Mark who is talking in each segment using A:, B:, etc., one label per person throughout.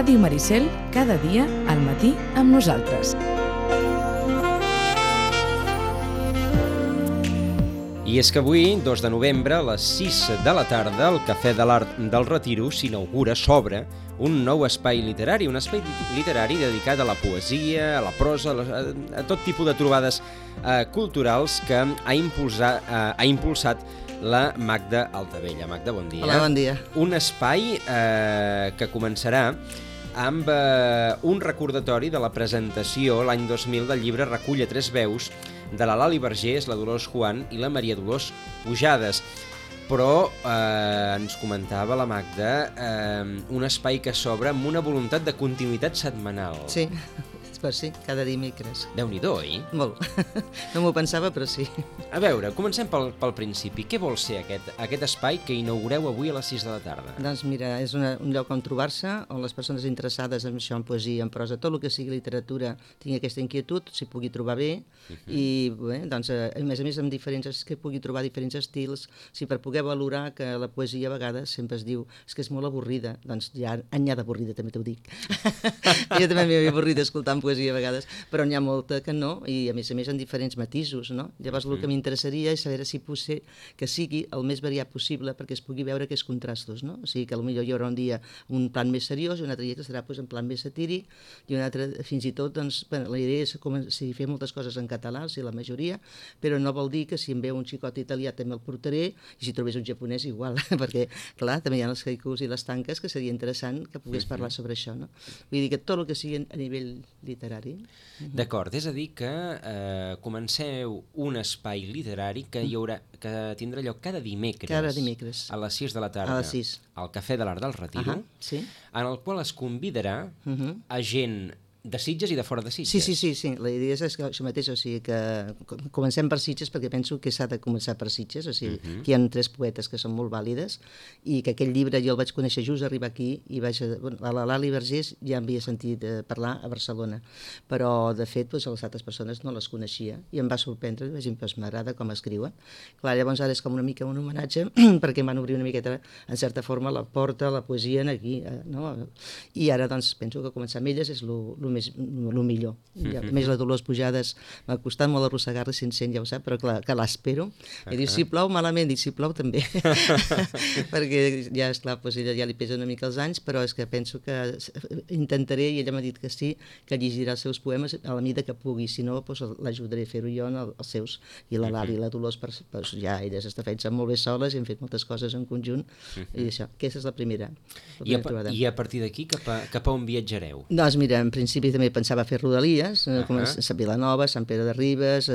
A: Ràdio Maricel, cada dia al matí amb nosaltres.
B: I és que avui, 2 de novembre, a les 6 de la tarda, al Cafè de l'Art del Retiro s'inaugura, s'obre, un nou espai literari, un espai literari dedicat a la poesia, a la prosa, a tot tipus de trobades culturals que ha impulsat la Magda Altavella. Magda, bon dia.
C: Hola, bon dia.
B: Un espai que començarà amb un recordatori de la presentació l'any 2000 del llibre Recull a 3 veus de la Lali Vergés, la Dolors Juan i la Maria Dolors Pujades. Però ens comentava la Magda un espai que s'obre amb una voluntat de continuïtat setmanal.
C: Sí, pues sí, cada dimecres.
B: Déu-n'hi-do, oi?
C: Molt. No m'ho pensava, però sí.
B: A veure, comencem pel principi. Què vol ser aquest espai que inaugureu avui a les 6 de la tarda?
C: Doncs mira, és un lloc on trobar-se, on les persones interessades en això, en poesia, en prosa, tot el que sigui literatura, tingui aquesta inquietud, s'hi pugui trobar bé, i bé, doncs, a més que pugui trobar diferents estils, si per poder valorar que la poesia a vegades sempre es diu que és molt avorrida, doncs ja n'hi ha d'avorrida, també t'ho dic. Jo també m'he avorrit escoltant poesia a vegades, però n'hi ha molta que no, i a més en diferents matisos, no? Llavors el que m'interessaria és saber si potser que sigui el més variat possible perquè es pugui veure aquests contrastos, no? O sigui que potser hi haurà un dia un plan més seriós i un altre dia que serà en plan més satíric i un altre, fins i tot, doncs, la idea és fer moltes coses en català, si la majoria, però no vol dir que si em veu un xicot italià també el portaré i si trobés un japonès igual, perquè, clar, també hi ha els haikus i les tanques que seria interessant que pogués parlar sobre això, no? Vull dir que tot el que sigui a nivell literari.
B: D'acord, és a dir que comenceu un espai literari que tindrà lloc cada dimecres a les 6 de la tarda
C: a les 6.
B: al Cafè de l'Art del Retiro,
C: sí.
B: En el qual es convidarà a gent de Sitges i de fora de Sitges.
C: Sí. La idea és que això mateix, o sigui que comencem per Sitges perquè penso que s'ha de començar per Sitges, o sigui que hi ha 3 poetes que són molt vàlides i que aquell llibre jo el vaig conèixer just arribar aquí i a la Lali Vergés ja havia sentit parlar a Barcelona, però de fet les altres persones no les coneixia i em va sorprendre, m'agrada com escriuen. Clar, llavors ara és com una mica un homenatge perquè em van obrir una miqueta, en certa forma, la porta, la poesia aquí, no? I ara doncs penso que començar amb elles és el millor. A més, la Dolors Pujades m'ha costat molt arrossegar-la sense ja ho sap, però clar, que l'espero. I diu, si plou malament, dic, si plou també. Perquè ja, esclar, doncs ella ja li pesa una mica els anys, però és que penso que intentaré, i ella m'ha dit que sí, que llegirà els seus poemes a la mida que pugui, si no, doncs l'ajudaré a fer-ho jo en els seus. I la Lali i la Dolors, ja elles estan fent molt bé soles i hem fet moltes coses en conjunt, i això, aquesta és la primera trobada.
B: I a partir d'aquí, cap a on viatjareu?
C: Doncs mira, en principi també pensava fer rodalies, com a Vilanova, Sant Pere de Ribes,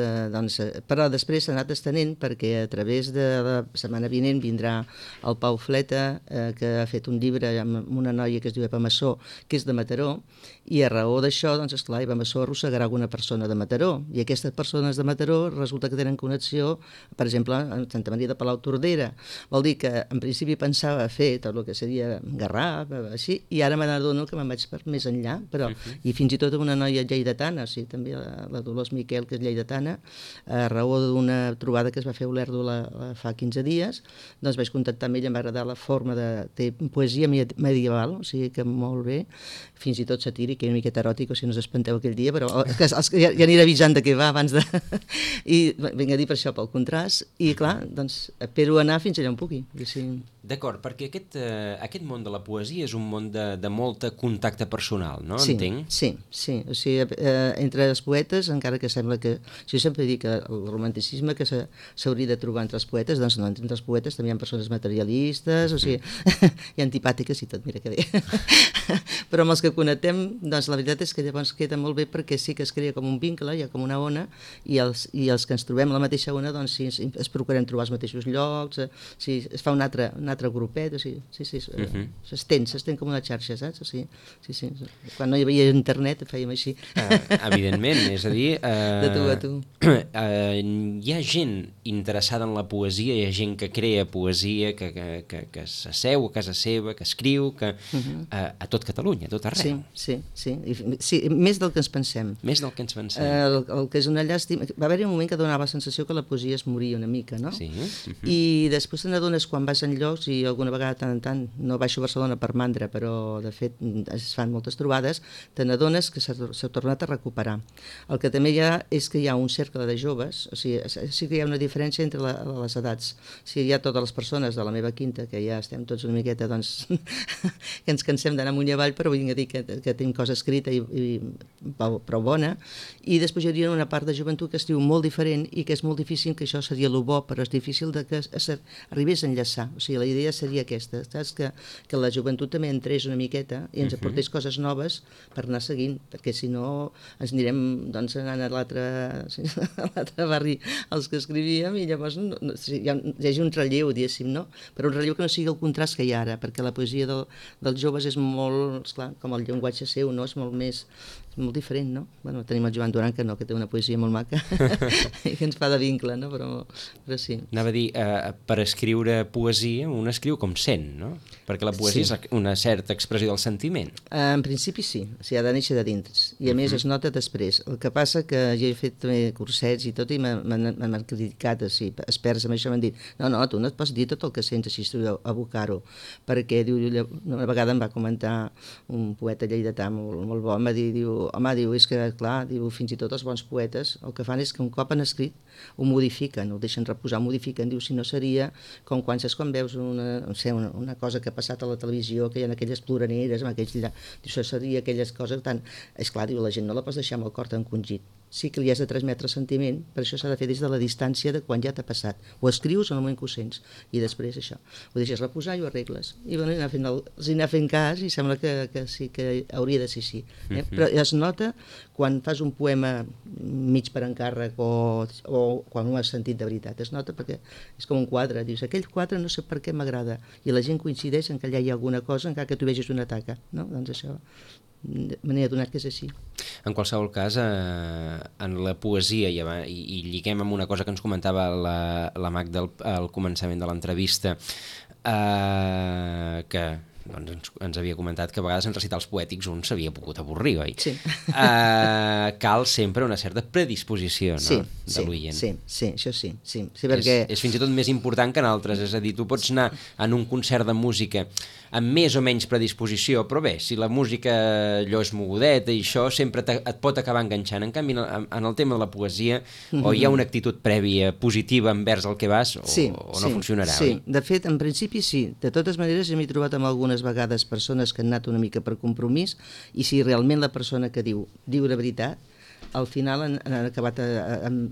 C: però després s'ha anat estenent perquè a través de la setmana vinent vindrà el Pau Fleta, que ha fet un llibre amb una noia que es diu Epa Massó, que és de Mataró, i a raó d'això, doncs esclar, Epa Massó arrossegarà alguna persona de Mataró, i aquestes persones de Mataró resulta que tenen connexió, per exemple, amb Santa Maria de Palautordera. Vol dir que en principi pensava fer tot el que seria Garraf, així, i ara m'adono que me'n vaig per més enllà, però i fins i tot una noia lleidatana, o sigui, també la Dolors Miquel, que és lleidatana, a raó d'una trobada que es va fer a Olèrdola fa 15 dies, doncs vaig contactar amb ella, em va agradar la forma de poesia medieval, o sigui que molt bé, fins i tot satíric, i una miqueta eròtic, o sigui, no us espanteu aquell dia, però ja aniré avisant de què va abans de... I vinc a dir per això, pel contrast, i clar, doncs espero anar fins allà on pugui.
B: D'acord, perquè aquest món de la poesia és un món de molt contacte personal, no? Entenc?
C: Sí. O sigui, entre els poetes, encara que sembla que... Jo sempre dic que el romanticisme que s'hauria de trobar entre els poetes, doncs no, entre els poetes també hi ha persones materialistes, o sigui, i antipàtiques i tot, mira que bé. Però amb els que connectem, doncs la veritat és que llavors queda molt bé perquè sí que es crea com un vincle, hi ha com una ona, i els que ens trobem a la mateixa ona, doncs sí, es procurem trobar els mateixos llocs, sí, es fa un altre grupet, o sigui, s'estén com una xarxa, saps? O sigui, sí. Quan no hi havia internet fèiem així.
B: Evidentment, és a dir...
C: De tu a tu.
B: Hi ha gent interessada en la poesia, hi ha gent que crea poesia, que s'asseu a casa seva, que escriu, a tot Catalunya, a tot arreu.
C: Sí, més del que ens pensem.
B: Més del que ens pensem.
C: El que és una llàstima... Va haver-hi un moment que donava la sensació que la poesia es moria una mica, no?
B: Sí.
C: I després te n'adones quan vas en llocs i alguna vegada tant en tant no baixo a Barcelona per mandra, però de fet es fan moltes trobades, te n'adones que s'ha tornat a recuperar. El que també hi ha és que hi ha un cercle de joves, o sigui, sí que hi ha una diferència entre les edats. O sigui, hi ha totes les persones de la meva quinta, que ja estem tots una miqueta, doncs, que ens cansem d'anar amunt i avall, però vinc a dir que tenim cosa escrita i prou bona, i després hi hauria una part de joventut que es diu molt diferent i que és molt difícil, que això seria el bo, però és difícil de que arribés a enllaçar. O sigui, la idea seria aquesta, saps? Que la joventut també entrés una miqueta i ens aportés coses noves per anar seguint, perquè si no ens anirem doncs, anant a l'altre barri els que escrivíem i llavors hi hagi un relleu, diguéssim, no? Però un relleu que no sigui el contrast que hi ha ara, perquè la poesia dels joves és molt, esclar, com el llenguatge seu, no? És molt diferent, no? Bueno, tenim el Joan Duran, que no, que té una poesia molt maca i que ens fa de vincle, no? Però sí.
B: Anava a dir, per escriure poesia, un escriu com sent, no? Perquè la poesia és una certa expressió del sentiment.
C: En principi sí, o sigui, ha de néixer de dins, i a més es nota després. El que passa que jo he fet també cursets i tot, i m'han criticat, o sigui, experts amb això m'han dit, no, tu no et pots dir tot el que sents així, abocar-ho, perquè una vegada em va comentar un poeta lleidatà molt bo, em va dir, home, és que, clar, fins i tot els bons poetes el que fan és que un cop han escrit ho modifiquen, ho deixen reposar, ho modifiquen, si no seria com quan veus una cosa que ha passat a la televisió, que hi ha aquelles ploraneres, això seria aquelles coses tan... Esclar, la gent no la pots deixar amb el cor encongit. Sí que li has de transmetre sentiment, per això s'ha de fer des de la distància de quan ja t'ha passat. Ho escrius en el moment que ho sents, i després això. Ho deixes reposar i ho arregles. I bueno, anar fent cas, i sembla que sí, que hauria de ser així. Però es nota quan fas un poema mig per encàrrec o quan ho has sentit de veritat. Es nota perquè és com un quadre. Dius, aquell quadre no sé per què m'agrada. I la gent coincideix en que allà hi ha alguna cosa, encara que tu vegis una taca. No? Doncs això... me n'he adonat que és així.
B: En qualsevol cas, en la poesia, i lliguem amb una cosa que ens comentava la Magda al començament de l'entrevista, que doncs, ens havia comentat que a vegades en recitals poètics un s'havia pogut avorrir, oi?
C: Sí.
B: Cal sempre una certa predisposició, no? De l'oient.
C: Sí, això sí. Perquè...
B: És fins i tot més important que en altres, és a dir, tu pots anar en un concert de música amb més o menys predisposició, però bé, si la música allò és mogudeta i això sempre et pot acabar enganxant. En canvi, en el tema de la poesia, o hi ha una actitud prèvia positiva envers el que vas, o no funcionarà, oi?
C: Sí, de fet, en principi sí. De totes maneres, m'he trobat amb algunes vegades persones que han anat una mica per compromís, i si realment la persona que diu la veritat, al final han acabat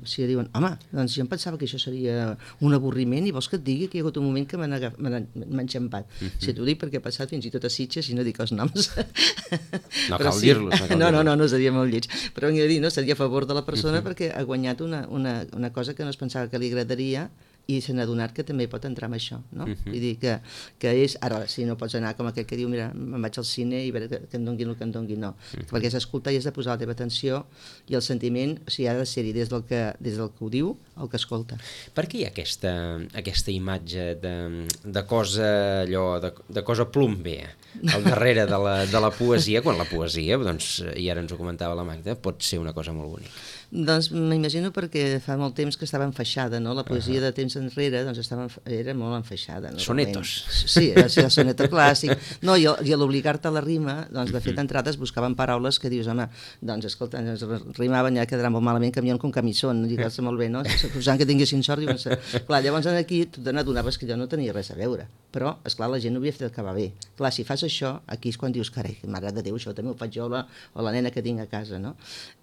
C: si diuen, home, doncs jo em pensava que això seria un avorriment i vols que et digui que hi ha hagut un moment que m'ha enxampat. Si t'ho dic perquè he passat fins i tot a Sitges i no dic els noms.
B: No cal dir-los.
C: No seria molt lleig. Però vinc a dir, seria a favor de la persona perquè ha guanyat una cosa que no es pensava que li agradaria i se n'ha adonat que també pot entrar amb això, no? Vull dir que és... Ara, si no pots anar com aquell que diu, mira, me'n vaig al cine i veure que em donguin el que em donguin, no. Perquè has d'escoltar i has de posar la teva atenció i el sentiment, o sigui, ha de ser-hi des del que ho diu al que escolta. Per
B: què hi ha aquesta imatge de cosa allò, de cosa plombe al darrere de la poesia, quan la poesia, doncs, i ara ens ho comentava la Magda, pot ser una cosa molt bonica?
C: Doncs m'imagino perquè fa molt temps que estava enfaixada, no? La poesia de temps enrere doncs era molt enfaixada. No?
B: Sonetos.
C: Sí, era el soneto clàssic. No, i a l'obligar-te a la rima, doncs de fet d'entrades buscaven paraules que dius, home, doncs escolta, ens rimaven, ja quedarà molt malament, camión con camisón, lligar-se molt bé, no? Posant que tinguessin sort, diuen, clar, llavors aquí tu n'adonaves que allò no tenia res a veure, però, esclar, la gent ho havia fet acabar bé. Clar, si fas això, aquí és quan dius, carai, mare de Déu, això també ho faig jo o la nena que tinc a casa, no?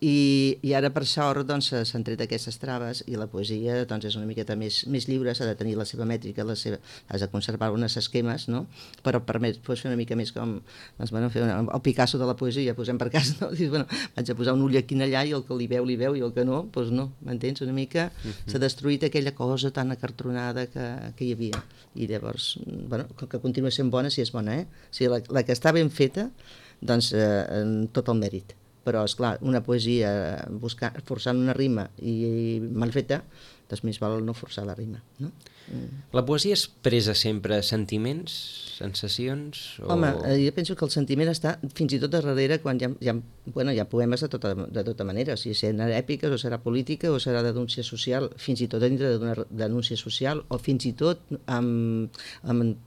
C: I ara, per sort, doncs s'han tret aquestes traves i la poesia doncs és una miqueta més lliure, s'ha de tenir la seva mètrica, has de conservar uns esquemes, no? Però pots fer una mica més com, doncs, bueno, fer el Picasso de la poesia, posem per cas, no? Dius, bueno, vaig a posar un ull aquí i allà i el que li veu i el que no, doncs no, m'entens? Una mica s'ha destruït aquella cosa tan acartronada que hi havia. I llavors, bueno, que continua sent bona si és bona, eh? O sigui, la que està ben feta, doncs tot el mèrit. Però, esclar, una poesia forçant una rima i mal feta, doncs més val no forçar la rima, no?
B: La poesia expressa sempre sentiments, sensacions?
C: Home, jo penso que el sentiment està fins i tot darrere quan hi ha poemes de tota manera, o sigui, seran èpiques o serà política o serà denúncia social, fins i tot dintre d'una denúncia social, o fins i tot amb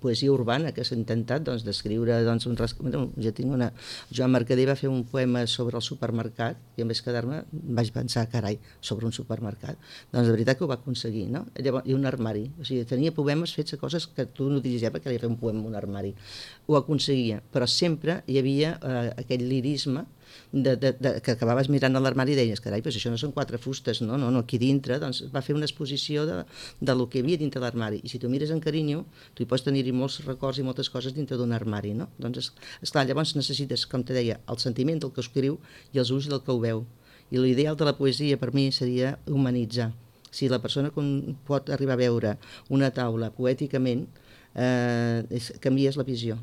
C: poesia urbana que s'ha intentat descriure jo tinc Joan Mercader va fer un poema sobre el supermercat i en vez de quedar-me vaig pensar, carai, sobre un supermercat, doncs de veritat que ho va aconseguir, no? Llavors, i un armari, o sigui, tenia poemes fets a coses que tu no diries, perquè li fer un poema en un armari, ho aconseguia, però sempre hi havia aquell lirisme que acabaves mirant a l'armari i deies, carai, però això no són 4 fustes, no, aquí dintre, doncs va fer una exposició de lo que hi havia dintre l'armari, i si tu mires en carinyo, tu hi pots tenir-hi molts records i moltes coses dintre d'un armari, no? Doncs, esclar, llavors necessites, com te deia, el sentiment del que escriu i els ulls del que ho veu, i l'ideal de la poesia per mi seria humanitzar. Si la persona pot arribar a veure una taula poèticament, canvies la visió.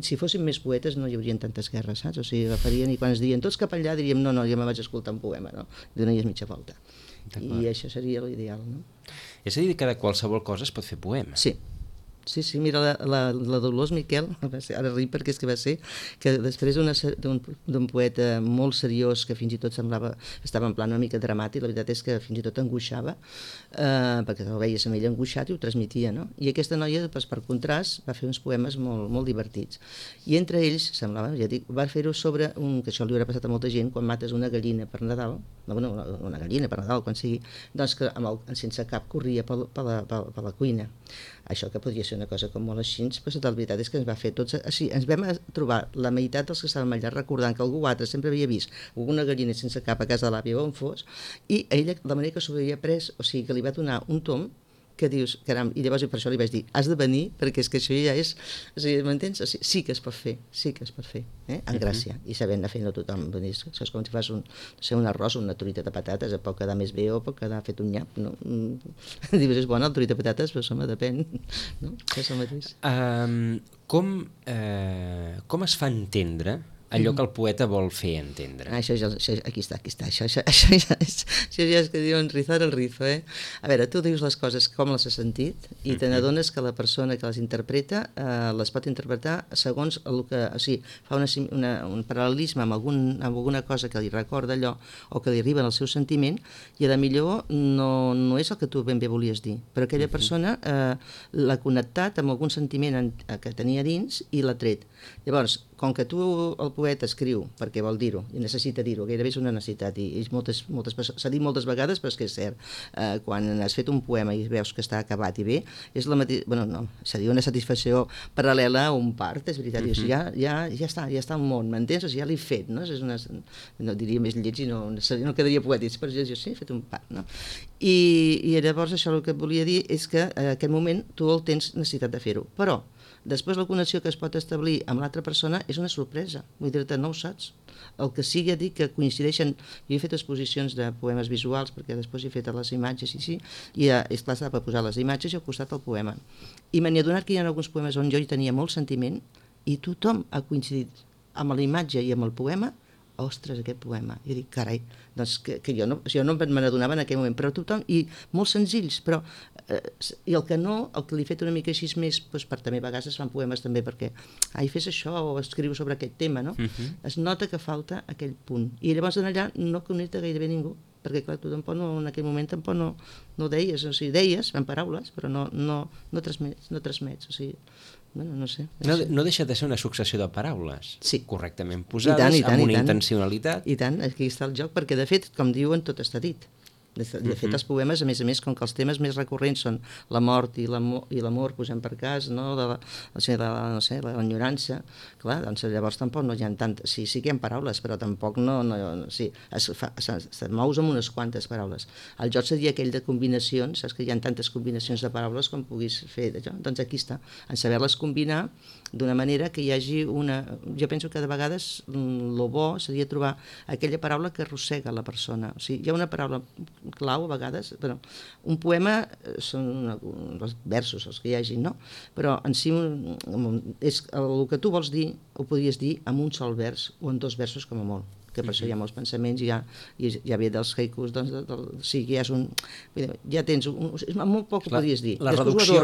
C: Si fóssim més poetes no hi haurien tantes guerres, saps? O sigui, agafarien i quan es diuen tots cap allà diríem no, jo me vaig escoltar un poema, no? Donaries mitja volta. I això seria l'ideal, no?
B: És a dir, que de qualsevol cosa es pot fer poema?
C: Sí, mira, la Dolors Miquel, ara ric perquè és que va ser, que després d'un poeta molt seriós que fins i tot estava en plan una mica dramàtic, la veritat és que fins i tot angoixava, perquè el veies amb ell angoixat i ho transmetia, no? I aquesta noia, per contrast, va fer uns poemes molt, molt divertits. I entre ells, semblava, ja dic, va fer-ho sobre, que això li haurà passat a molta gent, quan mates una gallina per Nadal, una gallina per Nadal, quan sigui, doncs que sense cap corria per la cuina. Això que podria ser una cosa com molt així, però la veritat és que ens va fer tots així. Ens vam trobar la meitat dels que estàvem allà recordant que algú altre sempre havia vist una gallina sense cap a casa de l'àvia on fos, i ella, la manera que s'ho havia pres, o sigui, que li va donar un tom que dius, caram, i llavors per això li vaig dir, has de venir, perquè és que això ja és, o sigui, m'entens? O sigui, sí que es pot fer, en gràcia, i sabent anar fent-ho tothom, això és com si fas un arròs o una truita de patates, pot quedar més bé o pot quedar fet un nyap, no? Dius, és bona el truita de patates, però home, depèn, no? És el mateix.
B: Com es fa entendre allò que el poeta vol fer entendre?
C: Això aquí està, això ja és que diuen rizar el rizo, A veure, tu dius les coses com les has sentit i te n'adones que la persona que les interpreta les pot interpretar segons el que, o sigui, fa un paral·lelisme amb alguna cosa que li recorda allò o que li arriba al seu sentiment i a la millor no és el que tu ben bé volies dir, però aquella persona l'ha connectat amb algun sentiment que tenia dins i l'ha tret. Llavors, com que el poeta escriu perquè vol dir-ho i necessita dir-ho, gairebé és una necessitat i s'ha dit moltes vegades, però és que és cert, quan has fet un poema i veus que està acabat i bé, és la mateixa, seria una satisfacció paral·lela a un part, és veritat, ja està al món, m'entens? O sigui, ja l'he fet, no? No diria més lleig i no quedaria poètic, però jo sí, he fet un part, no? I llavors això el que et volia dir és que en aquest moment tu el tens necessitat de fer-ho, però després la connexió que es pot establir amb l'altra persona és una sorpresa, vull dir-te, no ho saps. El que sigui, dic que coincideixen, jo he fet exposicions de poemes visuals perquè després he fet les imatges i és clar, s'ha de posar les imatges i al costat el poema. I me n'he adonat que hi ha alguns poemes on jo hi tenia molt sentiment i tothom ha coincidit amb la imatge i amb el poema. Ostres, aquest poema. Jo dic, carai, doncs que jo no me n'adonava en aquell moment, però tothom, i molt senzills, però i el que li he fet una mica així més, doncs per també a vegades es fan poemes també perquè, fes això o escriu sobre aquest tema, no? Es nota que falta aquell punt. I llavors allà no connecta gairebé ningú, perquè clar, tu tampoc en aquell moment tampoc no deies, o sigui, deies en paraules, però no transmets, o sigui, no sé.
B: No deixa de ser una successió de paraules correctament
C: I
B: posades,
C: tant,
B: amb una intencionalitat.
C: I tant, aquí està el joc, perquè de fet, com diuen, tot està dit. De fet, els poemes, a més, com que els temes més recurrents són la mort i l'amor, posem per cas, no? L'enyorança, clar, doncs llavors tampoc no hi ha tant... Sí que hi ha paraules, però tampoc se't mous amb unes quantes paraules. El joc seria aquell de combinacions, saps que hi ha tantes combinacions de paraules com puguis fer d'allò. Doncs aquí està, en saber-les combinar d'una manera que hi hagi una... Jo penso que de vegades el bo seria trobar aquella paraula que arrossega la persona. O sigui, hi ha una paraula clau a vegades, però un poema són els versos els que hi hagi, no? Però en si és el que tu vols dir ho podries dir amb un sol vers o en 2 versos com a molt, que per això hi ha molts pensaments, i ja ve dels haikus, doncs, sí, que ja és un... Ja tens... molt poc ho podries dir.
B: La reducció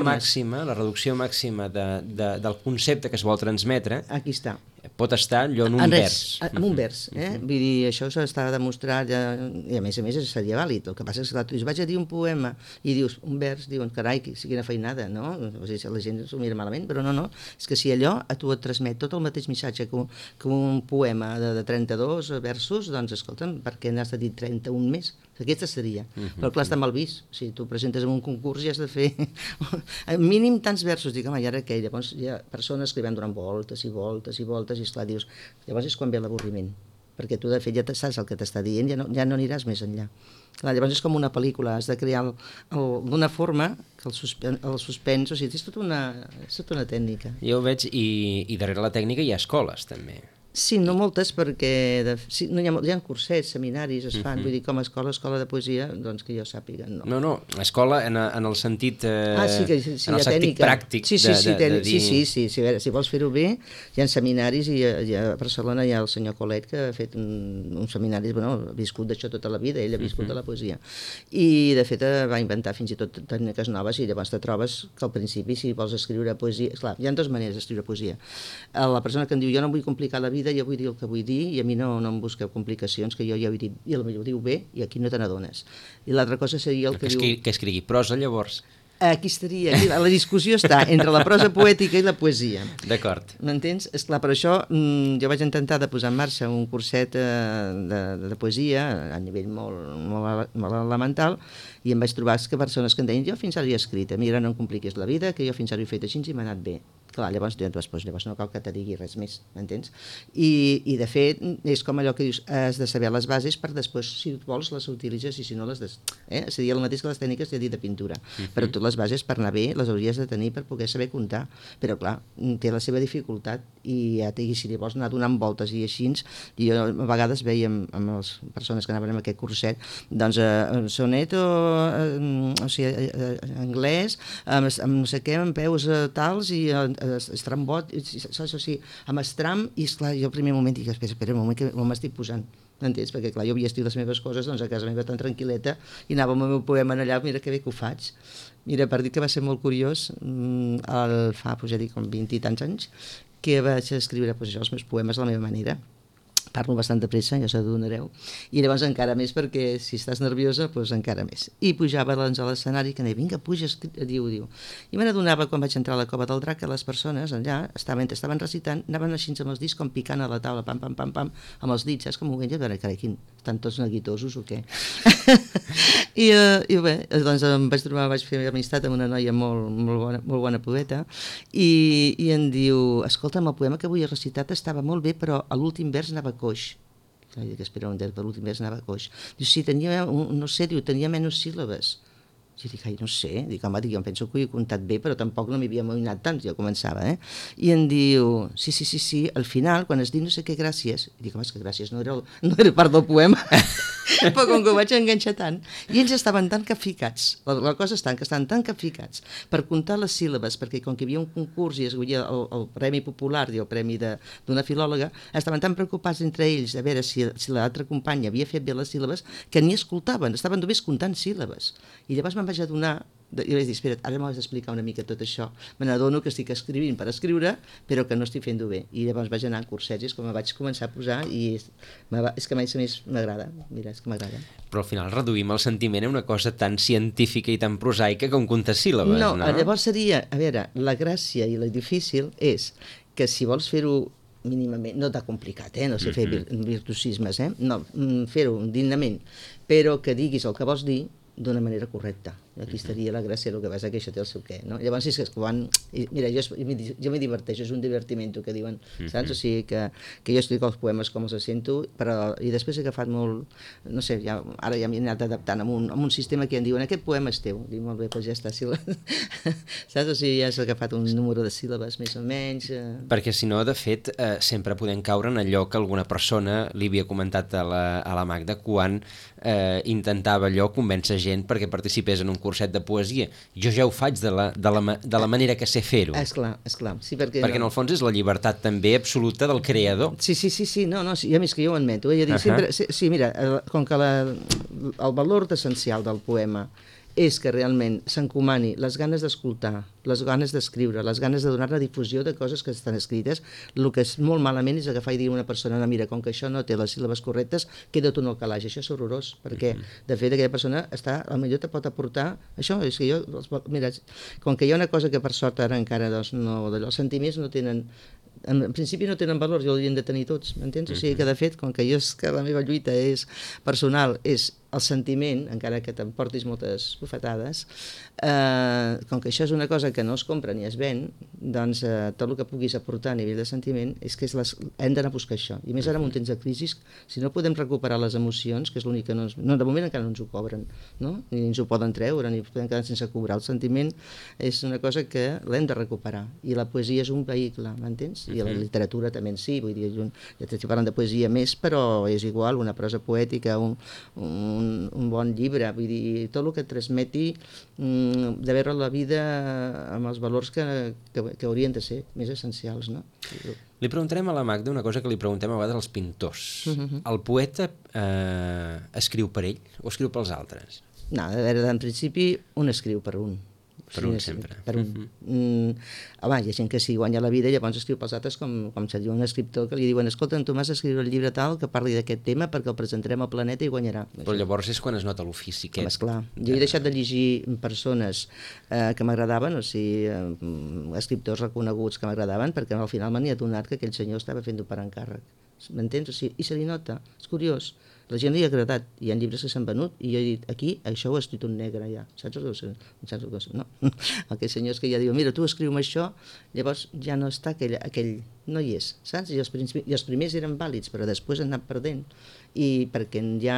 B: màxima del concepte que es vol transmetre...
C: Aquí està.
B: Pot estar allò en un vers.
C: En un vers, Vull dir, això s'està demostrat, i a més seria vàlid. El que passa és que tu vaig a dir un poema i dius un vers, diuen, carai, quina feinada, no? O sigui, la gent s'ho mira malament, però no, és que si allò a tu et transmet tot el mateix missatge que un poema de 32 versos, doncs escolta'm, per què n'has de dir 31 més? Aquesta seria, però clar, està mal vist. Si tu presentes en un concurs i has de fer mínim tants versos, dic, home, i ara què? Llavors hi ha persones que van donant voltes i voltes i voltes, i esclar, dius, llavors és quan ve l'avorriment, perquè tu de fet ja saps el que t'està dient, ja no aniràs més enllà. Clar, llavors és com una pel·lícula, has de crear d'una forma que el suspens, o sigui, és tota una tècnica.
B: Jo ho veig, i darrere la tècnica hi ha escoles, també.
C: Sí, no moltes, perquè hi ha cursets, seminaris, es fan, vull dir, com a escola de poesia, doncs que jo sàpiga, no.
B: No, escola en el sentit, en el sentit pràctic de dir...
C: Sí, a veure, si vols fer-ho bé, hi ha seminaris, i a Barcelona hi ha el senyor Colet, que ha fet un seminari, ha viscut d'això tota la vida, ell ha viscut de la poesia, i de fet va inventar fins i tot tècniques noves, i llavors te trobes que al principi, si vols escriure poesia, esclar, hi ha dues maneres d'escriure poesia. La persona que em diu, jo no vull complicar la vida, jo vull dir el que vull dir, i a mi no em busqueu complicacions, que jo ja ho he dit, i potser ho diu bé, i aquí no te n'adones. I l'altra cosa seria el que diu...
B: Que escrigui prosa, llavors.
C: Aquí estaria, la discussió està entre la prosa poètica i la poesia.
B: D'acord.
C: M'entens? Esclar, per això jo vaig intentar de posar en marxa un curset de poesia a nivell molt elemental, i em vaig trobar que persones que em deien, jo fins ara he escrit, mira, no em compliquis la vida, que jo fins ara ho he fet així i m'ha anat bé. Clar, llavors no cal que te digui res més, m'entens? I de fet, és com allò que dius, has de saber les bases per després, si vols, les utilitzes, i si no les... Seria el mateix que les tècniques de dir de pintura. Però tu les bases, per anar bé, les hauries de tenir per poder saber comptar. Però clar, té la seva dificultat, i si li vols anar donant voltes i així, i jo a vegades veia amb les persones que anaven en aquest curset, doncs sonet o sigui, anglès, amb no sé què, amb peus tals, i estrambot, saps, o sigui, amb estram, i esclar, jo al primer moment dic, espera un moment, que m'estic posant, m'entens? Perquè clar, jo havia estit les meves coses, doncs a casa meva tan tranquil·leta, i anava amb el meu poema allà, mira que bé que ho faig. Mira, per dir que va ser molt curiós, fa, ja dic, com 20 i tants anys, que vaig escriure els meus poemes a la meva manera. Parlo bastant de pressa, ja s'adonareu, i llavors encara més, perquè si estàs nerviosa, doncs encara més. I pujava a l'escenari, que deia, vinga, puja, diu. I me n'adonava, quan vaig entrar a la Cova del Drac, que les persones allà, estaven recitant, anaven així amb els dits, com picant a la taula, pam, pam, pam, pam, amb els dits, saps com ho veia? Carai, estan tots neguitosos o què? I bé, doncs vaig fer amistat amb una noia molt bona poeta, i em diu, escolta'm, el poema que avui he recitat estava molt bé, però a l'últim vers anava coix. Dic, espera un temps, per l'últim vers anava coix. Diu, sí, tenia menys síl·labes. Jo dic, no sé, home, jo em penso que ho he comptat bé, però tampoc no m'hi havia amoïnat tant, jo començava, I em diu, sí, al final, quan es diu no sé què, gràcies, i dic, home, és que gràcies no era part del poema, però com que ho vaig enganxar tant, i ells estaven tan capficats, la cosa està que estan tan capficats per comptar les síl·labes, perquè com que hi havia un concurs i es guanyia el Premi Popular i el Premi d'una filòloga, estaven tan preocupats entre ells de veure si l'altra companya havia fet bé les síl·labes que ni escoltaven, estaven només comptant síl·labes. I llavors me'n vaig adonar, i vaig dir, espera't, ara m'has d'explicar una mica tot això. Me n'adono que estic escrivint per escriure, però que no estic fent-ho bé. I llavors vaig anar a cursets, com vaig començar a posar, i és que més m'agrada. Mira, és que m'agrada.
B: Però al final reduïm el sentiment a una cosa tan científica i tan prosaica com comptar síl·labes, no?
C: No, llavors seria, a veure, la gràcia i la difícil és que si vols fer-ho mínimament, no t'ha complicat, no sé fer virtuosismes, no, fer-ho dignament, però que diguis el que vols dir d'una manera correcta. Aquí estaria la gràcia, el que passa que això té el seu què, no? Llavors, és que quan... Mira, jo m'hi diverteixo, és un divertiment, que diuen, saps? O sigui, que jo escric els poemes com els sento, i després he agafat molt... No sé, ara ja m'he anat adaptant amb un sistema que em diuen, aquest poema és teu. Dic, molt bé, doncs ja està, saps? O sigui, ja has agafat un número de síl·labes, més o menys...
B: Perquè, si no, de fet, sempre podem caure en allò que alguna persona li havia comentat a la Magda quan intentava allò convèncer gent perquè participés en un curset de poesia. Jo ja ho faig de la manera que sé fer-ho.
C: Esclar. Sí, perquè
B: en el fons és la llibertat també absoluta del creador.
C: Sí, a més que jo ho admeto. Sí, mira, com que el valor essencial del poema és que realment s'encomani les ganes d'escoltar, les ganes d'escriure, les ganes de donar la difusió de coses que estan escrites. El que és molt malament és agafar i dir a una persona, no, mira, com que això no té les síl·labes correctes, queda't un al calaix. Això és horrorós, perquè de fet aquella persona potser te pot aportar això. És que mira, com que hi ha una cosa que per sort ara encara doncs, no, els sentiments no tenen, en principi no tenen valor, i ho haurien de tenir tots, m'entens? O sigui que de fet, com que la meva lluita és personal, és el sentiment, encara que t'emportis moltes bufetades, com que això és una cosa que no es compra ni es ven, doncs tot el que puguis aportar a nivell de sentiment és que hem d'anar a buscar això. I més ara en un temps de crisi, si no podem recuperar les emocions, que és l'únic que de moment encara no ens ho cobren, no? Ni ens ho poden treure, ni podem quedar sense cobrar. El sentiment és una cosa que l'hem de recuperar, i la poesia és un vehicle, m'entens? I la literatura també en si, vull dir, ja t'estic parlant de poesia més, però és igual, una prosa poètica, un bon llibre, vull dir, tot el que transmeti de veure la vida amb els valors que haurien de ser més essencials, no?
B: Li preguntarem a la Magda una cosa que li preguntem a vegades als pintors. El poeta escriu per ell o escriu pels altres?
C: No, a veure, en principi un escriu per un.
B: Per un sempre.
C: Per un. Home, hi ha gent que si guanya la vida llavors escriu pels altres, com seria un escriptor que li diuen, escolta, tu m'has d'escriure el llibre tal que parli d'aquest tema perquè el presentarem al planeta i guanyarà.
B: Però llavors és quan es nota l'ofici.
C: Esclar, jo he deixat de llegir persones que m'agradaven, o sigui, escriptors reconeguts que m'agradaven, perquè al final m'he adonat que aquell senyor estava fent-ho per encàrrec. M'entens? O sigui, i se li nota, és curiós. La gent li ha agradat, hi ha llibres que s'han venut i jo he dit, aquí això ho ha escrit un negre ja, saps el que és? No? Aquells senyors que ja diuen, mira, tu escriu-me això, llavors ja no està aquell no hi és, saps? I els primers eren vàlids, però després han anat perdent, i perquè ja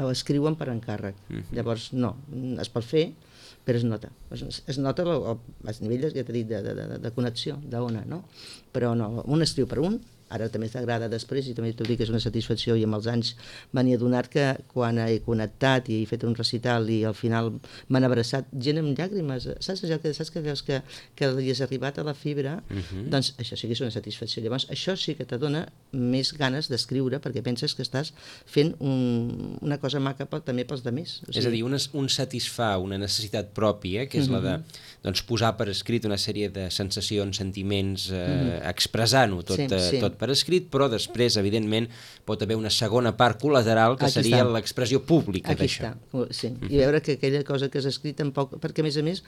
C: ho escriuen per encàrrec. Llavors no, es pot fer, però es nota a nivell, ja t'he dit, de connexió, d'ona, no? Però no, un escriu per un, ara també t'agrada després, i també t'ho dic que és una satisfacció, i amb els anys m'he adonat que quan he connectat i he fet un recital i al final m'han abraçat gent amb llàgrimes, saps que veus que li has arribat a la fibra, doncs això sí que és una satisfacció. Llavors això sí que t'adona més ganes d'escriure perquè penses que estàs fent una cosa maca també pels altres. O sigui,
B: és a dir, un satisfà una necessitat pròpia, que és la de posar per escrit una sèrie de sensacions, sentiments, expressant-ho tot per escrit, però després, evidentment, pot haver una segona part col·lateral que seria l'expressió pública d'això.
C: Aquí està, sí. I veure que aquella cosa que has escrit tampoc... Perquè, a més,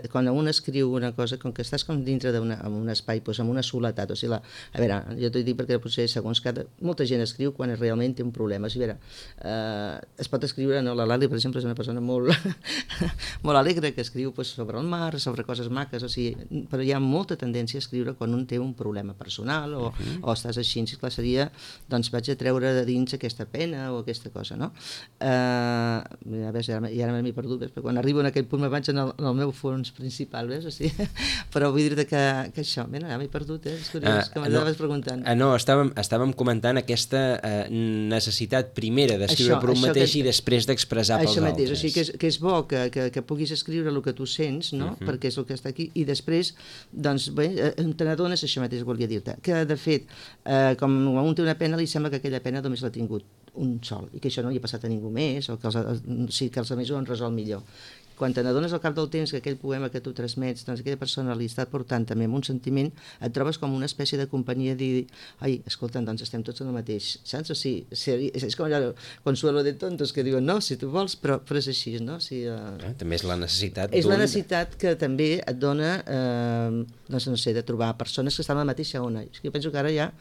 C: quan un escriu una cosa, com que estàs com dintre d'un espai, amb una soledat, o sigui, a veure, jo t'ho dic perquè potser segons molta gent escriu quan realment té un problema. O sigui, a veure, es pot escriure, no? La Lali, per exemple, és una persona molt alegre, que escriu sobre el mar, sobre coses maques, o sigui, però hi ha molta tendència a escriure quan un té un problema personal o estàs així, clar, seria, doncs vaig a treure de dins aquesta pena o aquesta cosa, no? A veure, i ara m'he perdut, perquè quan arribo en aquell punt me vaig en el meu fons principal, ves? O sigui, però vull dir que això, ja m'he perdut, és curiós, que m'anaves preguntant.
B: No, estàvem comentant aquesta necessitat primera d'escriure per un mateix i després d'expressar pels altres.
C: Això mateix, o sigui, que és bo que puguis escriure el que tu sents, no? Perquè és el que està aquí, i després, doncs, bé, te n'adones, això mateix volia dir-te, que de fet, com un té una pena, li sembla que aquella pena només l'ha tingut un sol, i que això no li ha passat a ningú més, o que els altres ho han resolt millor. Quan te n'adones al cap del temps que aquell poema que tu transmets, doncs aquella persona li està portant també amb un sentiment, et trobes com una espècie de companyia de dir, ai, escolta, doncs estem tots en el mateix, saps? O sigui, és com allò, consuelo de tontos, que diuen, no, si tu vols, però és així, no? O sigui,
B: també és la necessitat
C: és la necessitat que també et dona, doncs no sé, de trobar persones que estan a la mateixa ona. Jo penso que ara ja,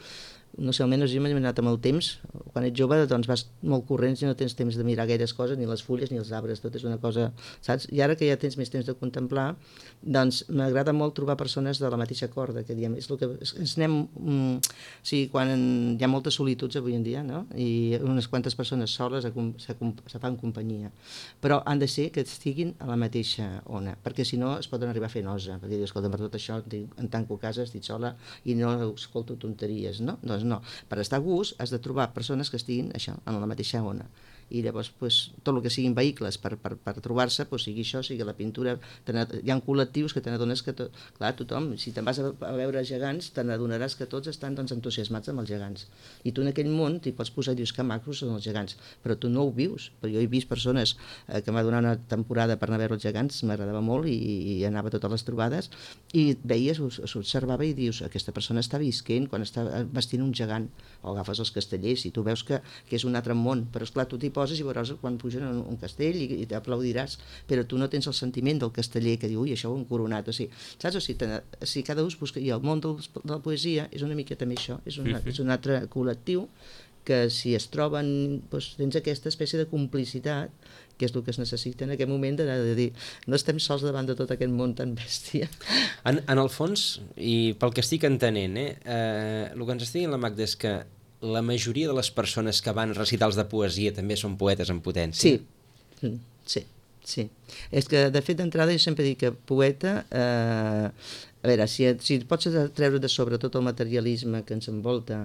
C: no sé, almenys jo m'he anat amb el temps, quan ets jove doncs vas molt corrents i no tens temps de mirar gaires coses, ni les fulles ni els arbres, tot és una cosa, saps? I ara que ja tens més temps de contemplar, doncs m'agrada molt trobar persones de la mateixa corda, que diem, és el que ens anem, o sigui, quan hi ha moltes solituds avui en dia, no? I unes quantes persones soles se fan companyia, però han de ser que estiguin a la mateixa ona, perquè si no es poden arribar a fer nosa, perquè dius, escolta, per tot això em tanco a casa, estic sola i no escolto tonteries, no? Doncs no, per estar a gust has de trobar persones que estiguin això, en la mateixa ona. i llavors tot el que siguin vehicles per trobar-se, sigui això, sigui la pintura, hi ha col·lectius que te n'adones que, clar, tothom, si te'n vas a veure gegants, te n'adonaràs que tots estan entusiasmats amb els gegants, i tu en aquell món t'hi pots posar i dius que macros són els gegants, però tu no ho vius, però jo he vist persones que m'ha donat una temporada per anar a veure els gegants, m'agradava molt i anava a totes les trobades, i veies, s'observava i dius, aquesta persona està visquent quan està vestint un gegant, o agafes els castellers i tu veus que és un altre món, però esclar, tu t'hi poses i veuràs quan pugen un castell i t'aplaudiràs, però tu no tens el sentiment del casteller que diu, ui, això ho han coronat, o sigui, saps? O sigui, cada ús busca, i el món de la poesia és una mica també això, és un altre col·lectiu que si es troben, tens aquesta espècie de complicitat, que és el que es necessita en aquest moment de dir, no estem sols davant de tot aquest món tan bèstia.
B: En el fons, i pel que estic entenent, el que ens estigui en la Magda és que la majoria de les persones que van a recitals de poesia també són poetes en potència.
C: Sí. És que, de fet, d'entrada jo sempre dic que poeta... A veure, si pots treure de sobre tot el materialisme que ens envolta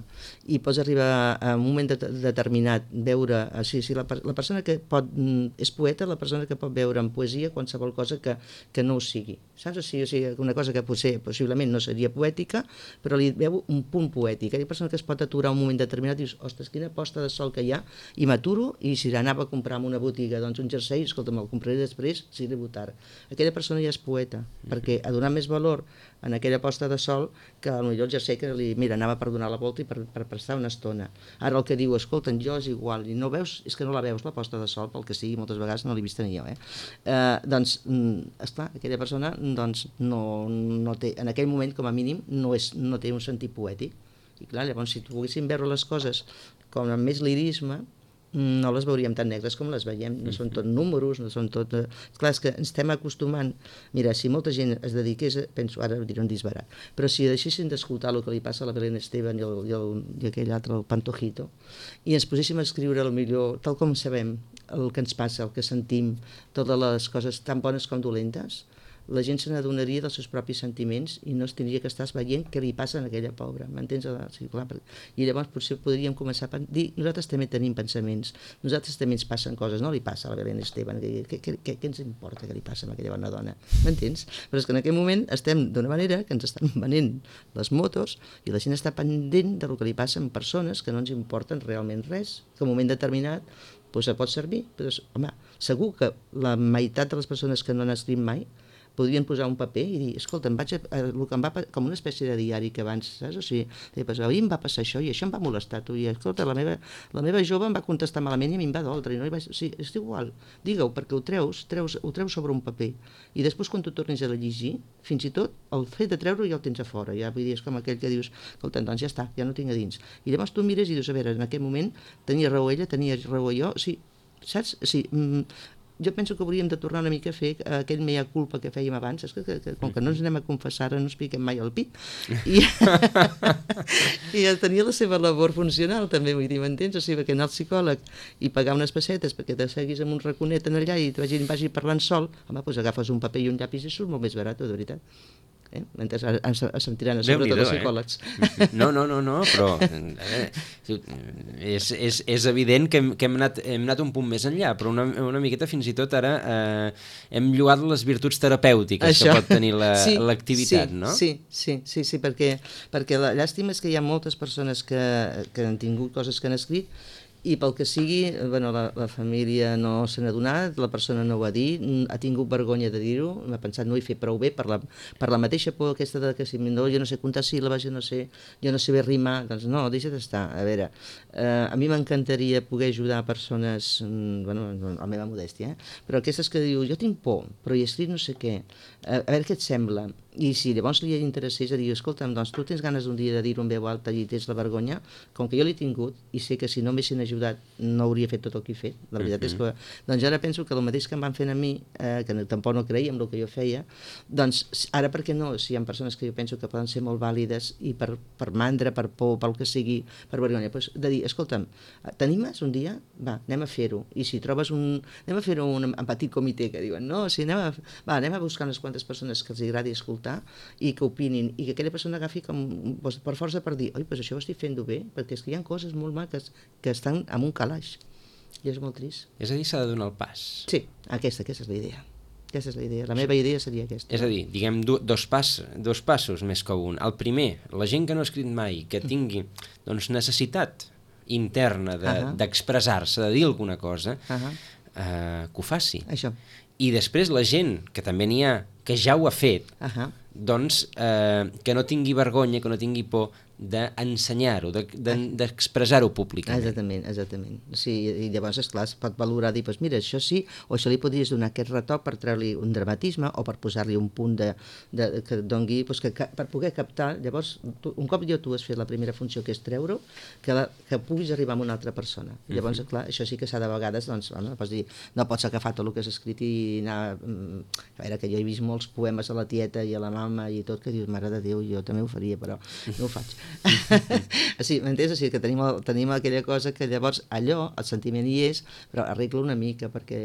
C: i pots arribar a un moment determinat veure, la persona que és poeta, la persona que pot veure en poesia qualsevol cosa que no ho sigui, saps? O sigui, una cosa que possiblement no seria poètica, però li veu un punt poètic. Hi ha persona que es pot aturar un moment determinat i dius, ostres, quina posta de sol que hi ha, i m'aturo, i si anava a comprar en una botiga un jersei, escolta, me'l compraré després, si arribo tard. Aquella persona ja és poeta, perquè ha donat més valor en aquella posta de sol que potser el jersei que anava per donar la volta i per prestar una estona. Ara el que diu, escolta'm, jo és igual, i no veus, és que no la veus la posta de sol, pel que sigui, moltes vegades no l'he vista ni jo, doncs, esclar, aquella persona no té, en aquell moment com a mínim no té un sentit poètic, i clar, llavors si poguéssim veure les coses com amb més lirisme, no les veuríem tan negres com les veiem, no són tot números, no són tot... Clar, és que ens estem acostumant... Mira, si molta gent es dediqués, penso, ara diré un disbarat, però si deixessin d'escoltar el que li passa a la Belén Esteban i aquell altre, el Pantojito, i ens poséssim a escriure el millor, tal com sabem, el que ens passa, el que sentim, totes les coses tan bones com dolentes, la gent se n'adonaria dels seus propis sentiments i no es tindria que estar veient què li passa a aquella pobra, m'entens? Sí, clar, i llavors potser podríem començar a dir, nosaltres també tenim pensaments, nosaltres també ens passen coses, no li passa a la Belén Esteban, què ens importa que li passa a aquella bona dona, m'entens? Però és que en aquell moment estem d'una manera que ens estan venent les motos i la gent està pendent del que li passa amb persones que no ens importen realment res, que en un moment determinat pot servir, però home, segur que la meitat de les persones que no han escrit mai podrien posar un paper i dir, escolta, el que em va com una espècie de diari que abans, saps? O sigui, ahir em va passar això i això em va molestar, tu, i escolta, la meva jove em va contestar malament i a mi em va doldre, i no o sigui, és igual, digue-ho, perquè ho treus sobre un paper, i després quan tu tornis a llegir, fins i tot el fet de treure-ho ja el tens a fora, ja vull dir, és com aquell que dius, escolta, doncs ja està, ja no tinc a dins, i llavors tu mires i dius, a veure, en aquell moment tenia raó ella, tenia raó jo, o sigui, saps? O sigui, jo penso que hauríem de tornar una mica a fer aquell mea culpa que fèiem abans, és que com que no ens anem a confessar ara no ens piquem mai el pit, i tenia la seva labor funcional també, vull dir, m'entens? O sigui, que anar al psicòleg i pagar unes pessetes perquè te seguis amb un raconet en allà i vagi parlant sol, home, doncs agafes un paper i un llapis i surt molt més barat, de veritat. Mentre ens sentiran sobretot els psicòlegs.
B: No, però és evident que hem anat un punt més enllà, però una miqueta fins i tot ara hem lloat les virtuts terapèutiques que pot tenir l'activitat, no?
C: Sí, perquè la llàstima és que hi ha moltes persones que han tingut coses que han escrit i pel que sigui, bueno, la família no se n'ha donat, la persona no ho ha dit, ha tingut vergonya de dir-ho, m'ha pensat no ho he fet prou bé per la mateixa por aquesta de que si no, jo no sé comptar síl·labes, jo no sé bé rimar, doncs no, deixa d'estar. A veure, a mi m'encantaria poder ajudar persones, bueno, la meva modèstia, però aquestes que diu, jo tinc por, però he escrit no sé què, a veure què et sembla, i si llavors li interessés a dir, escolta'm, doncs tu tens ganes un dia de dir-ho en veu alta i tens la vergonya, com que jo l'he tingut i sé que si no m'haguessin ajudat no hauria fet tot el que he fet, la veritat és que doncs ara penso que el mateix que em van fer a mi, que tampoc no creia en el que jo feia, doncs ara per què no, si hi ha persones que jo penso que poden ser molt vàlides i per mandra, per por, pel que sigui, per vergonya, doncs de dir, escolta'm, t'animes un dia? Va, anem a fer-ho, i si trobes anem a fer-ho en petit comitè que diuen, no, si anem a buscar unes quantes persones que els agradi escoltar i que opinin, i que aquella persona agafi com per força per dir, oi, doncs això ho estic fent bé, perquè és que hi ha coses molt maques que estan en un calaix, I és molt trist.
B: És a dir, s'ha de donar el pas.
C: Sí, aquesta és la idea. Aquesta és la idea. La meva idea seria aquesta.
B: És a dir, diguem, dos passos més que un. El primer, la gent que no ha escrit mai, que tingui doncs, necessitat interna d'expressar-se, de dir alguna cosa, que ho faci.
C: Això.
B: I després la gent, que també n'hi ha, que ja ho ha fet, doncs que no tingui vergonya, que no tingui por d'ensenyar-ho, d'expressar-ho públicament.
C: Exactament. Sí, i llavors, esclar, es pot valorar, dir, doncs mira, això sí, o això li podries donar aquest retoc per treure-li un dramatisme o per posar-li un punt que dongui, doncs per poder captar, llavors, un cop tu has fet la primera funció, que és treure-ho, que puguis arribar a una altra persona. Llavors, clar, això sí que s'ha de vegades, doncs, pots dir, no pots agafar tot el que has escrit i anar... A veure, que jo he vist molts poemes a la tieta i a la mama i tot, que dius, mare de Déu, jo també ho faria, però no ho faig. Sí, m'entens? O sigui, que tenim aquella cosa que llavors allò, el sentiment hi és, però arregla una mica perquè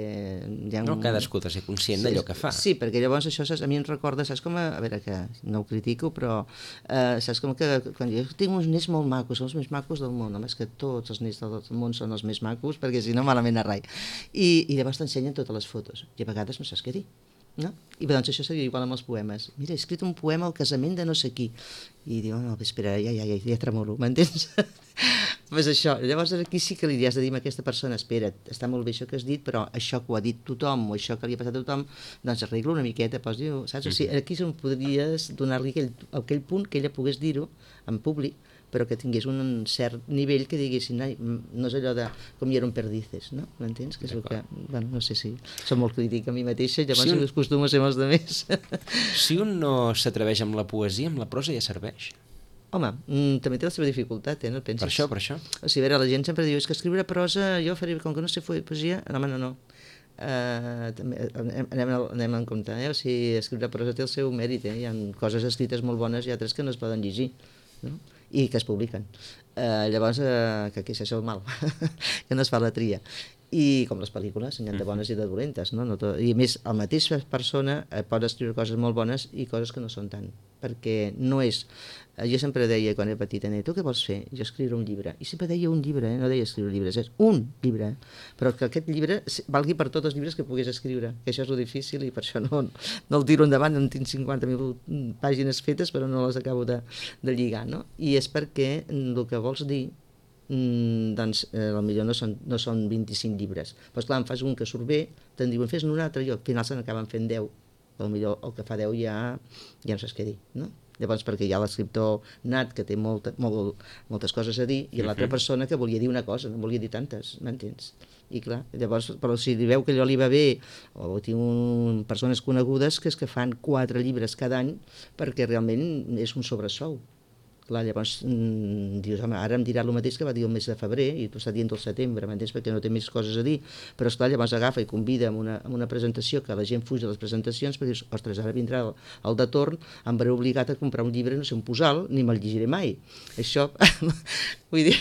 C: hi ha
B: no, cadascú ha de ser conscient d'allò que fa.
C: Sí, perquè llavors això a mi em recorda, saps com a veure, que no ho critico, però saps com que quan jo tinc uns nets molt macos, són els més macos del món, home, és que tots els nets del món són els més macos, perquè si no malament a rai. I llavors t'ensenyen totes les fotos, i a vegades no saps què dir. No? I doncs això seria igual amb els poemes. Mira, he escrit un poema al casament de no sé qui. I diu, no, espera, ja tremolo, m'entens? Pues això, llavors aquí sí que li has de dir a aquesta persona, espera, està molt bé això que has dit, però això que ho ha dit tothom o això que li ha passat a tothom, doncs arregla una miqueta, diu, saps? O sigui, aquí podries donar-li aquell punt que ella pogués dir-ho en públic, però que tingués un cert nivell que diguessin, no és allò de com hi era un perdices, no? M'entens? Que és el que, bueno, no sé si som molt crític a mi mateixa, llavors si acostumo a ser amb els altres.
B: Si un no s'atreveix amb la poesia, amb la prosa ja serveix.
C: Home, també té la seva dificultat, no et penses?
B: Per això.
C: O sigui, a veure, la gent sempre diu, és que escriure prosa, jo faré, com que no sé poesia, no. Anem en compte, o sigui, escriure prosa té el seu mèrit, hi ha coses escrites molt bones i altres que no es poden llegir, no? I que es publiquen. Llavors, que aquí és el mal, que no es fa la tria. I com les pel·lícules, n'hi ha de bones i de dolentes, no? I a més, la mateixa persona pot escriure coses molt bones i coses que no són tant, perquè no és... Jo sempre deia, quan era petita, tu què vols fer? Jo escriure un llibre. I sempre deia un llibre, no deia escriure llibres, és un llibre. Però que aquest llibre valgui per tots els llibres que pogués escriure, que això és lo difícil i per això no el tiro endavant, en tinc 50.000 pàgines fetes, però no les acabo de lligar, no? I és perquè el que vols dir doncs potser no són 25 llibres. Però esclar, en fas un que surt bé, te'n diuen fes-ne un altre i al final se n'acaben fent 10. Potser el que fa 10 ja no saps què dir, no? Llavors, perquè hi ha l'escriptor nat que té moltes coses a dir i l'altra persona que volia dir una cosa, no volia dir tantes, m'entens? I clar, llavors, però si veu que allò li va bé, o tinc persones conegudes que és que fan 4 llibres cada any perquè realment és un sobresou. Clar, llavors dius, home, ara em dirà el mateix que va dir el mes de febrer i tu estàs dient el setembre, m'entens? Perquè no té més coses a dir, però esclar, llavors agafa i convida a una presentació que la gent fuig de les presentacions perquè dius, ostres, ara vindrà el de torn, em veré obligat a comprar un llibre, no sé, un posal, ni me'l llegiré mai. Això, vull dir,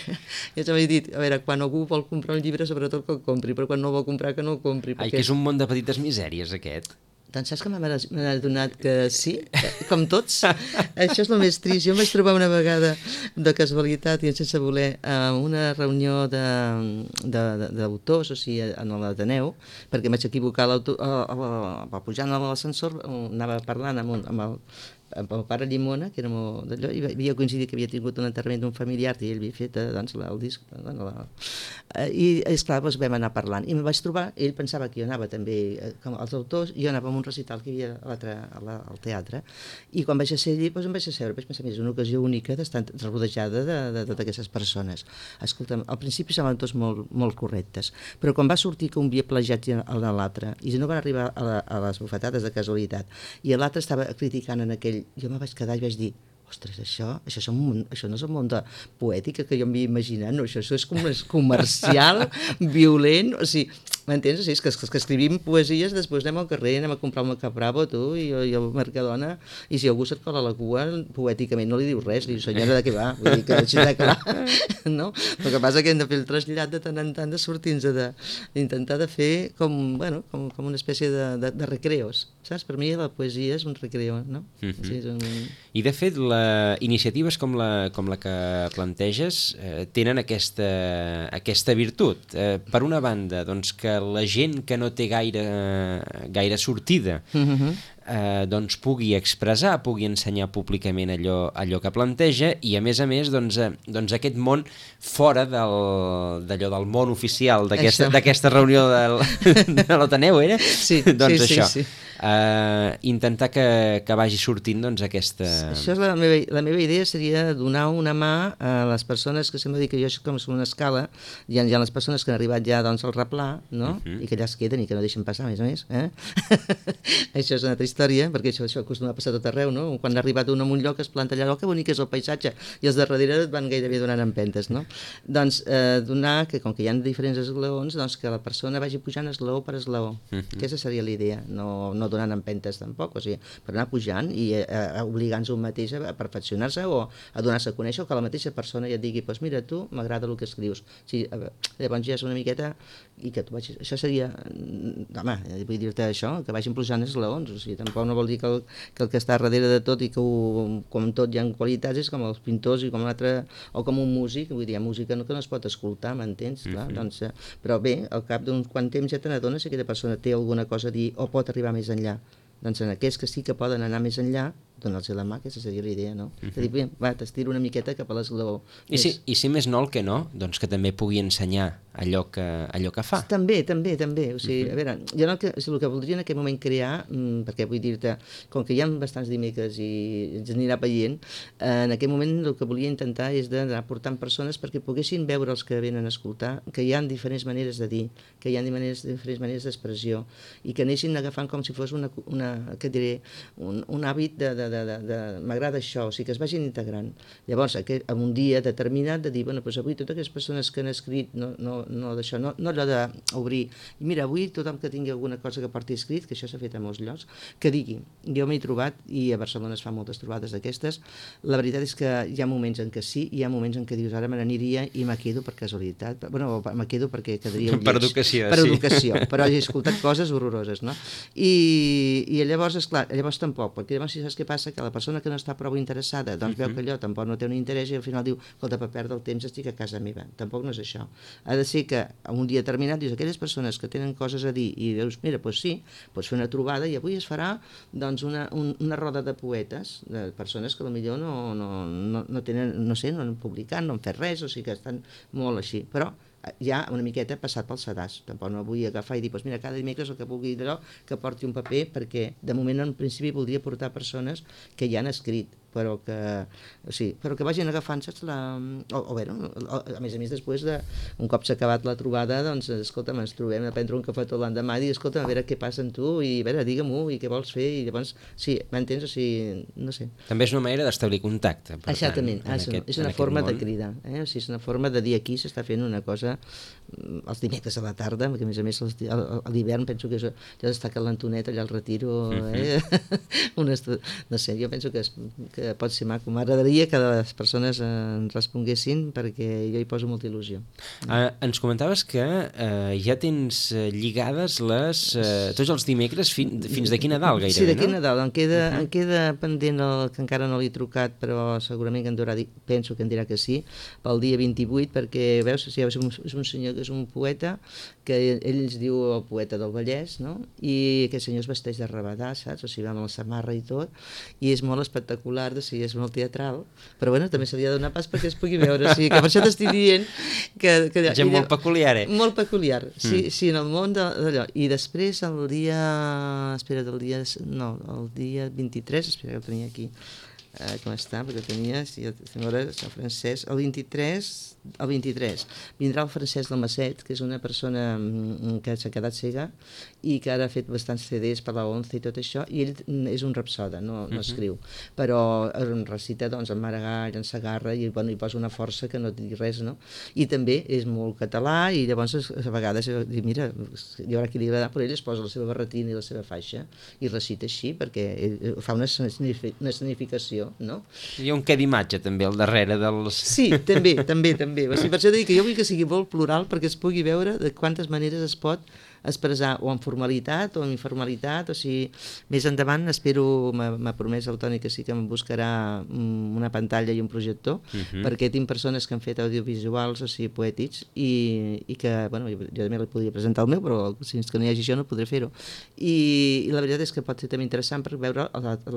C: ja t'ho he dit, a veure, quan algú vol comprar un llibre, sobretot que el compri, però quan no el vol comprar, que no el compri.
B: Ai, que és un món de petites misèries, aquest.
C: Doncs saps que m'ha adonat que sí, com tots? Això és el més trist. Jo em vaig trobar una vegada, de casualitat i sense voler, a una reunió d'autors, o sigui, en l'Ateneu, perquè em vaig equivocar pujant a l'ascensor, anava parlant amb el pare Llimona, que era molt d'allò, i havia coincidit que havia tingut un enterrament d'un familiar i ell havia fet doncs, el disc. I esclar, doncs vam anar parlant. I em vaig trobar, ell pensava que jo anava també com els autors, i jo anava a un recital que hi havia al teatre, i quan vaig a ser allí, doncs em vaig asseure, vaig pensar, és una ocasió única d'estar rodejada de totes aquestes persones. Escolta'm, al principi semblen tots molt correctes, però quan va sortir que un havia plagiat a l'altre, i no van arribar a les bufetades de casualitat, i l'altre estava criticant en aquell, jo me vaig quedar i vaig dir, ostres, això no és el món de poètica que jo m'havia imaginat, no, això és comercial, violent, o sigui, M'entens? O sigui, és que escrivim poesies, després anem al carrer, anem a comprar un Macabravo, tu, i el Mercadona, i si algú se't cola la cua, poèticament no li dius res, li dius, senyora, de què va? Vull dir que així de clar, no? El que passa que hem de fer el trasllat de tant en tant de sortir-nos d'intentar de fer com una espècie de recreos, saps? Per mi la poesia és un recreo, no? Sí, és un...
B: I de fet, iniciatives com la que planteges tenen aquesta virtut. Per una banda, doncs que la gent que no té gaire sortida doncs pugui expressar, pugui ensenyar públicament allò que planteja, i a més doncs aquest món fora d'allò del món oficial d'aquesta reunió de l'Ateneu, era?
C: Sí,
B: doncs
C: sí,
B: això.
C: sí.
B: Intentar que vagi sortint doncs aquesta...
C: Això és la meva idea, seria donar una mà a les persones que sembla dir que jo com som una escala, hi ha les persones que han arribat ja doncs, al replà, no? I que allà es queden i que no deixen passar, a més. Això és una altra història, perquè això acostuma a passar tot arreu, no? Quan ha arribat un a un lloc es planta allà, que bonic és el paisatge, i els de darrere et van gairebé donant empentes, no? Doncs donar que, com que hi ha diferents esglaons, doncs que la persona vagi pujant esglaó per esglaó. Aquesta seria la idea, no donant empentes tampoc, o sigui, per anar pujant i obligant-se un mateix a perfeccionar-se o a donar-se a conèixer, o que la mateixa persona ja et digui, doncs mira, tu m'agrada el que escrius. Sí, llavors ja és una miqueta i que tu vagis... Això seria... Home, vull dir-te això, que vagin pujant esglaons, o sigui, tampoc no vol dir que el que està darrere de tot i que com tot hi ha qualitats és com els pintors i com l'altre, o com un músic, vull dir, hi ha música que no es pot escoltar, m'entens? Doncs, però bé, al cap d'un quant temps ja te n'adones si aquella persona té alguna cosa a dir o pot arribar més enllà. Doncs en aquells que sí que poden anar més enllà, donar-los la mà, aquesta seria la idea, no? De dir, bé, va, t'estiro una miqueta cap a l'esglaó.
B: I si més no el que no, doncs que també pugui ensenyar allò que fa.
C: També, o sigui, a veure, jo el que voldria en aquest moment crear, perquè vull dir-te, com que hi ha bastants dimecres i ens anirà veient, en aquest moment el que volia intentar és d'anar portant persones perquè poguessin veure els que venen a escoltar que hi ha diferents maneres de dir, que hi ha diferents maneres d'expressió, i que anessin agafant com si fos un hàbit de m'agrada això, o sigui, que es vagin integrant. Llavors, en un dia determinat de dir, bueno, doncs avui totes aquelles persones que han escrit, no d'això, no allò d'obrir, i mira, avui tothom que tingui alguna cosa que porti escrit, que això s'ha fet a molts llocs, que digui, jo m'he trobat, i a Barcelona es fan moltes trobades d'aquestes, la veritat és que hi ha moments en què sí, i hi ha moments en què dius, ara me n'aniria i me quedo per casualitat, bueno, me quedo perquè quedaria
B: per educació,
C: per educació, però he escoltat coses horroroses, no? I llavors, esclar, llavors tampoc, perquè llavors si saps què passa, que la persona que no està prou interessada doncs veu que allò tampoc no té un interès i al final diu, escolta, per perdre el temps estic a casa meva. Tampoc no és això. Ha de ser que a un dia determinat dius, aquelles persones que tenen coses a dir i dius, mira, doncs sí, pots fer una trobada i avui es farà doncs una roda de poetes, de persones que potser no tenen, no sé, no han publicat, no han fet res, o sigui que estan molt així, però ja una miqueta passat pel sedàs. Tampoc no vull agafar i dir, doncs mira, cada dimecres el que pugui d'allò, que porti un paper, perquè de moment en principi voldria portar persones que ja han escrit, però que vagin agafant, saps, a més després, un cop s'ha acabat la trobada, doncs, escolta'm, ens trobem a prendre un cafetó l'endemà i dir, escolta'm, a veure què passa amb tu, i a veure, digue-m'ho, i què vols fer, i llavors, sí, m'entens? O sigui, no sé.
B: També és una manera d'establir contacte.
C: Exactament, és una forma de cridar, o sigui, és una forma de dir aquí s'està fent una cosa els dimecres a la tarda, perquè a més a l'hivern penso que ja està calentonet allà al Retiro, no sé, jo penso que pot ser maco. M'agradaria que les persones ens responguessin perquè jo hi poso molta il·lusió.
B: Ens comentaves que ja tens lligades tots els dimecres fins d'aquí Nadal gairebé,
C: no? Sí, d'aquí Nadal. Em queda pendent que encara no l'he trucat, però segurament que penso que em dirà que sí, pel dia 28, perquè veus, és un senyor que és un poeta, que ell ens diu el poeta del Vallès, no? I aquest senyor es vesteix de rabadà, saps? O sigui, va amb la samarra i tot, i és molt espectacular, o sigui, és molt teatral, però bueno, també se li ha de donar pas perquè es pugui veure, o sigui, que per això t'estic dient que
B: gent molt peculiar,
C: Molt peculiar, sí, en el món d'allò. I després el dia 23, espera que el tenia aquí, com està, perquè tenia, si veure, Sant Francesc, el 23, vindrà el Francesc Dalmacet, que és una persona que s'ha quedat cega i que ara ha fet bastants CDs per la ONCE i tot això, i ell és un rapsoda, no escriu, però recita doncs, en Maragall, en Segarra, i bueno, hi posa una força que no et digui res, no? I també és molt català, i llavors a vegades dic, mira, hi haurà qui li agrada, però ell es posa la seva barretina i la seva faixa i recita així, perquè ell fa una escenificació, no?
B: Hi ha un què d'imatge també al darrere dels...
C: Sí, també. O sigui, per això dic que jo vull que sigui molt plural perquè es pugui veure de quantes maneres es pot expressar o en formalitat o en informalitat, o sigui, més endavant espero, m'ha promès el Toni que sí que em buscarà una pantalla i un projector, perquè tinc persones que han fet audiovisuals, o sigui, poètics, i que, bueno, jo també li podria presentar el meu, però fins que no hi hagi això no podré fer-ho. I la veritat és que pot ser també interessant per veure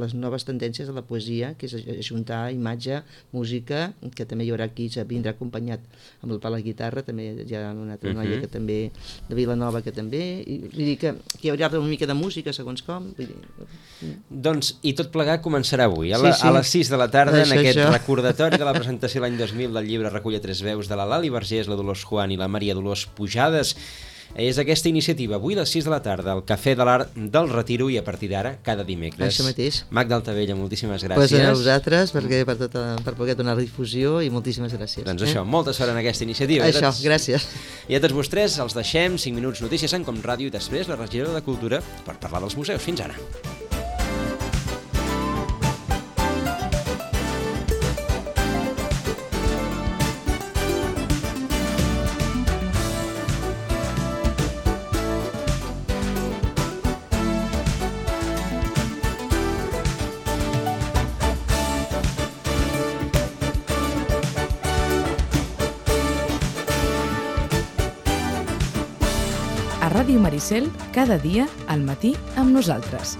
C: les noves tendències de la poesia, que és ajuntar imatge, música, que també hi haurà aquí, vindrà acompanyat amb el pal a la guitarra, també hi ha una altra noia que també, de Vilanova, que també, i vull dir que hi haurà una mica de música segons com, vull dir...
B: Doncs, i tot plegat començarà avui, a les 6 de la tarda, en aquest recordatori de la presentació l'any 2000 del llibre Recull a tres veus de la Lali Vergés, la Dolors Juan i la Maria Dolors Pujades. És aquesta iniciativa, avui a les 6 de la tarda, al Cafè de l'Art del Retiro, i a partir d'ara, cada dimecres.
C: Això mateix.
B: Magda Altavella, moltíssimes gràcies.
C: Pues a vosaltres, per poder donar difusió, i moltíssimes gràcies.
B: Doncs això, molta sort en aquesta iniciativa.
C: Això, gràcies.
B: I a tots vostès els deixem 5 minuts notícies en Com Ràdio i després la regidora de Cultura per parlar dels museus. Fins ara.
A: A Ràdio Maricel, cada dia, al matí, amb nosaltres.